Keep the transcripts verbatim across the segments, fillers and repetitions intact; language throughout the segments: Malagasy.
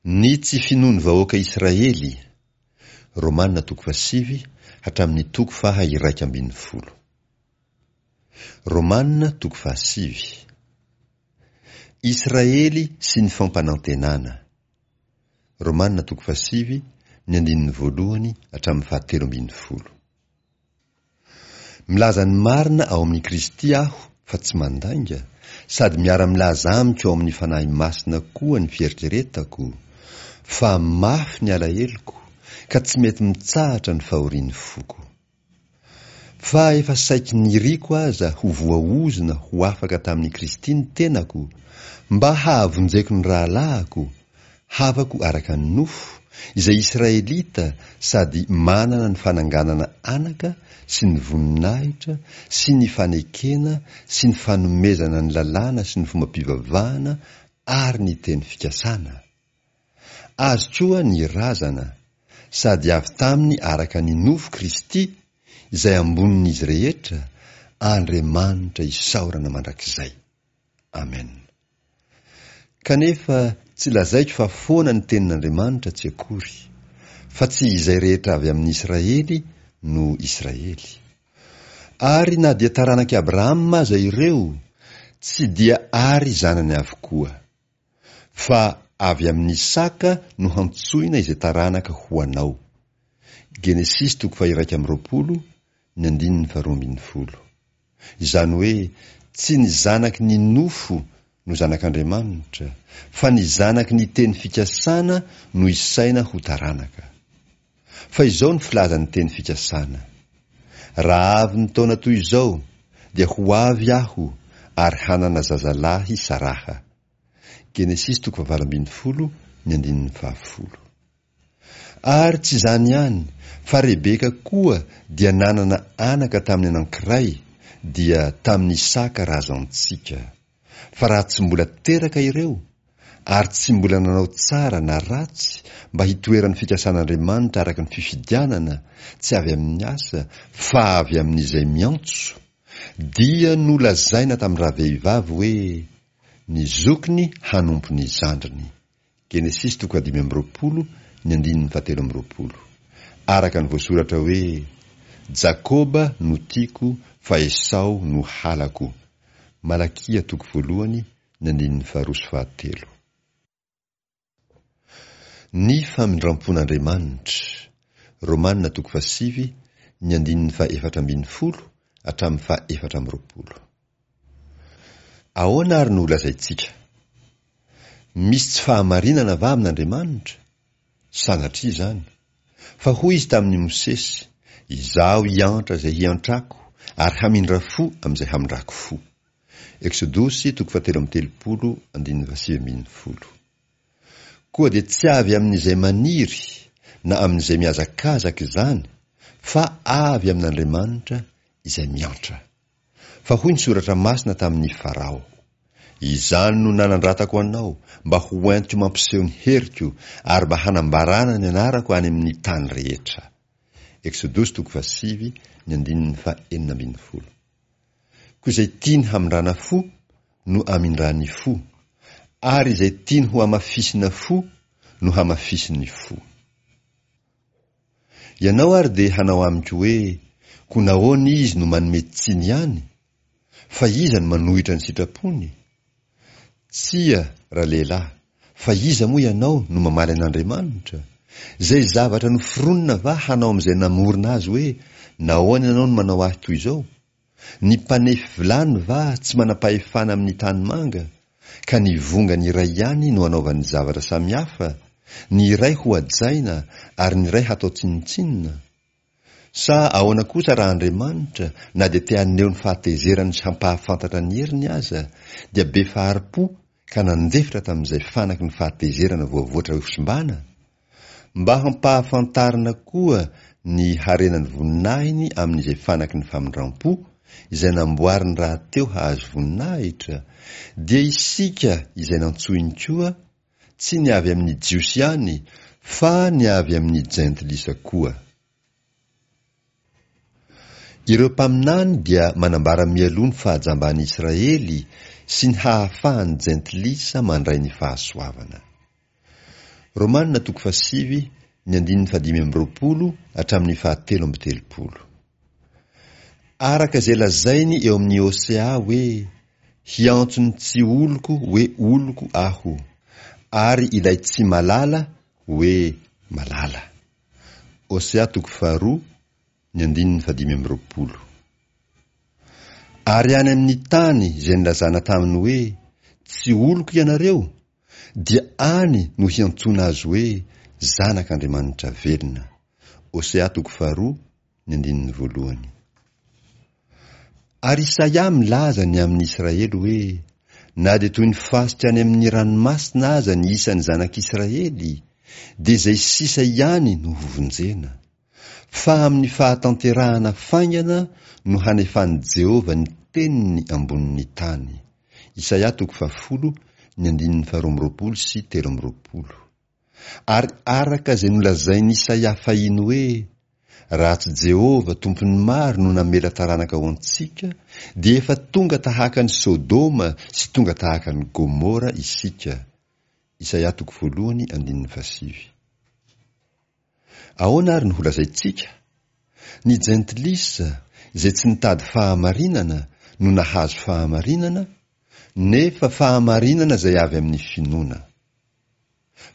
Ny tsy finoan'ny vahoaka Israely, Romana toko fahasivy hatramin'ny toko faha iraika ambin'ny folo. Romana toko fahasivy. Israely sy ny fampanantenana. Romana toko fahasivy, ny andininy voalohany hatramin'ny fahatelo ambin'ny folo. Milaza ny marina ao amin'i Kristy aho fa tsy mandainga, sady miara-milaza amiko ao amin'ny Fanahy Masina koa ny fieritreretako, fa mafy ny alaheloko, ka tsy mety mitsahatra ny fahorian'ny foko. Fa efa saiky niriko aza ho voaozona ho afaka tamin'i Kristy ny tenako, mba hahavonjeko ny rahalahako, havako araka ny nofo, izay Israelita sady manana ny fananganana anaka sy ny voninahitra sy ny fanekena sy ny fanomezana ny lalàna sy ny fombam-pivavahana ary ny teny fikasana. Azy koa ny razana, sady avy taminy araka ny nofo Kristy, izay ambonin'izy rehetra, Andriamanitra isaorana mandrakizay. Amen. Kanefa tsy lazaiko fa foana ny tenin'Andriamanitra tsy akory, fa tsy izay rehetra avy amin'i Israely no Israely. Ary na dia taranak'i Abrahama aza ireo, tsy dia ary zanany avokoa. Fa avy amin'i Isaka no hantsoina izay taranaka ho anao. Genesisy toko faha-iraika amby roapolo, ny andininy faharoa ambin'ny folo. Izany hoe tsy ny zanaky ny nofo no zanak'Andriamanitra, fa ny zanaky ny teny fikasana no isaina ho taranaka. Fa izao ny filazan'ny teny fikasana: Raha avy ny taona toy izao, dia ho avy aho ary hanana zazalahy Saraha. Genesisy toko fahavalo ambin'ny folo, ny andininy fahafolo. Ary tsy izany ihany, fa Rebeka koa dia nanana anaka tamin'ny anankiray, dia tamin'Isaka razantsika. Fa raha tsy mbola teraka ireo, ary tsy mbola nanao tsara na ratsy mba hitoeran'ny fikasan'Andriamanitra araka ny fifidianana, tsy avy amin'ny asa, fa avy amin'izay miantso, dia nolazaina tamin-dravehivavy hoe, Ny zokiny hanompo ny zandriny. Genesisy toko fahadimy amby roapolo, ny andininy fahatelo amby roapolo. Araka ny voasoratra hoe, Jakoba no tiako fa Esao no halako. Malakia toko voalohany, ny andininy faharoa sy fahatelo. Ny famindrampon'Andriamanitra. Romana toko fahasivy, ny andininy fahaefatra ambin'ny folo hatramin'ny fahaefatra amby roapolo. Ahoana ary no holazaintsika? Misy tsy fahamarinana va amin'Andriamanitra? Sanatria izany. Fa hoy Izy tamin'i Mosesy, Izaho hiantra izay hiantrako ary hamindra fo amin'izay hamindrako fo. Eksodosy toko fahatelo amby telopolo andininy fahasivy ambin'ny folo. Koa dia tsy avy amin'izay maniry na amin'izay mihazakazaka izany, fa avy amin'Andriamanitra izay miantra. Fa hoy ny Soratra Masina tamin'i Farao, Izany no nanandratako anao, mba ho entiko mampiseho ny heriko, ary mba hanambarana ny anarako any amin'ny tany rehetra. Eksodosy toko fahasivy, ny andininy fahenina ambin'ny folo. Koa izay tiany hamindrana fo no amindrany fo, ary izay tiany ho hamafisina fo no hamafisiny fo. Ianao ary dia hanao amiko hoe, Koa nahoana izy no manome tsiny ihany? Fa iza no manohitra ny sitrapony? Tsia, ralehilahy, fa iza moa ianao no mamaly an'Andriamanitra? Izay zavatra noforonina va hanao amin'izay namorona azy hoe, Nahoana ianao no manao ahy toy izao? Ny mpanefy vilany va tsy manam-pahefana amin'ny tanimanga, ka ny vongany iray ihany no anaovany zavatra samihafa, ny iray hohajaina ary ny iray hatao tsinontsinona? Sa ahoana kosa raha Andriamanitra, na dia te haneho ny fahatezerany sy hampahafantatra ny heriny aza, dia be fahari-po ka nandefitra tamin'izay fanaky ny fahatezerana voavoatra hosimbana? Mba hampahafantarina koa ny harenan'ny voninahiny amin'izay fanaky ny famindram-po, izay namboariny rahateo hahazo voninahitra, dia isika izay nantsoiny koa, tsy ny avy amin'ny Jiosy ihany, fa ny avy amin'ny Jentilisa koa. Ireo mpaminany dia manambara mialoha ny fahajamban'i Israely sy ny hahafahan'ny Jentilisa mandray ny fahasoavana. Romana toko fahasivy ny andininy fahadimy amby roapolo hatramin'ny fahatelo amby telopolo. Araka izay lazainy eo amin'ny Hosea hoe, hiantso ny tsy oloko hoe oloko aho, ary ilay tsy malala hoe malala. Hosea toko faharoa ny andininy fahadimy amby roapolo. Ary any amin'ny tany izay nilazana taminy hoe, tsy oloko ianareo, dia any no hiantsoana azy hoe zanak'Andriamanitra velona. Hosea toko faharoa ny andininy voalohany. Ary Isaia milaza ny amin'ny Israely hoe, na dia toy ny fasika any amin'ny ranomasina aza ny isan'ny zanak'Israely, dia izay sisa ihany no hovonjena. Fa amin'ny fahatanterahana faingana no hanefan'i Jehovah ny teniny ambonin'ny tany. Isaia toko fahafolo ny andininy faharoa amby roapolo sy telo amby roapolo. Ary araka izay nolazain'i Isaia fahiny hoe, raha tsy Jehovah tompon'ny maro no namela taranaka ho antsika, dia efa tonga tahaka ny Sodoma sy tonga tahaka ny Gomora isika. Isaia toko voalohany andininy fahasivy. Ahoana ary no holazaintsika? Ny jentilisa izay tsy nitady fahamarinana no nahazo fahamarinana, nefa fahamarinana izay avy amin'ny finoana.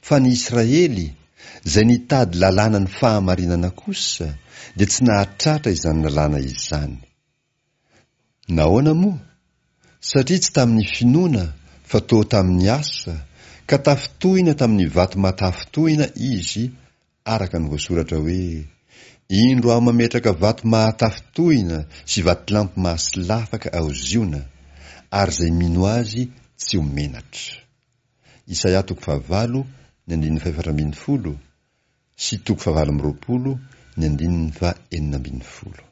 Fa ny Israely izay nitady lalàna ny fahamarinana kosa dia tsy nahatratra izany lalàna izany. Nahoana moa? Satria tsy tamin'ny finoana fa toa tamin'ny asa, ka tafintohina tamin'ny vato mahatafintohina izy, araka ny voasoratra hoe, indro aho mametraka vato mahatafintohina sy vatolampy mahasolafaka ao Ziona, ary izay mino azy tsy ho menatra. Isaia toko fahavalo ny andininy fahefatra ambin'ny folo sy toko fahavalo amby roapolo ny andininy fahenina ambin'ny folo.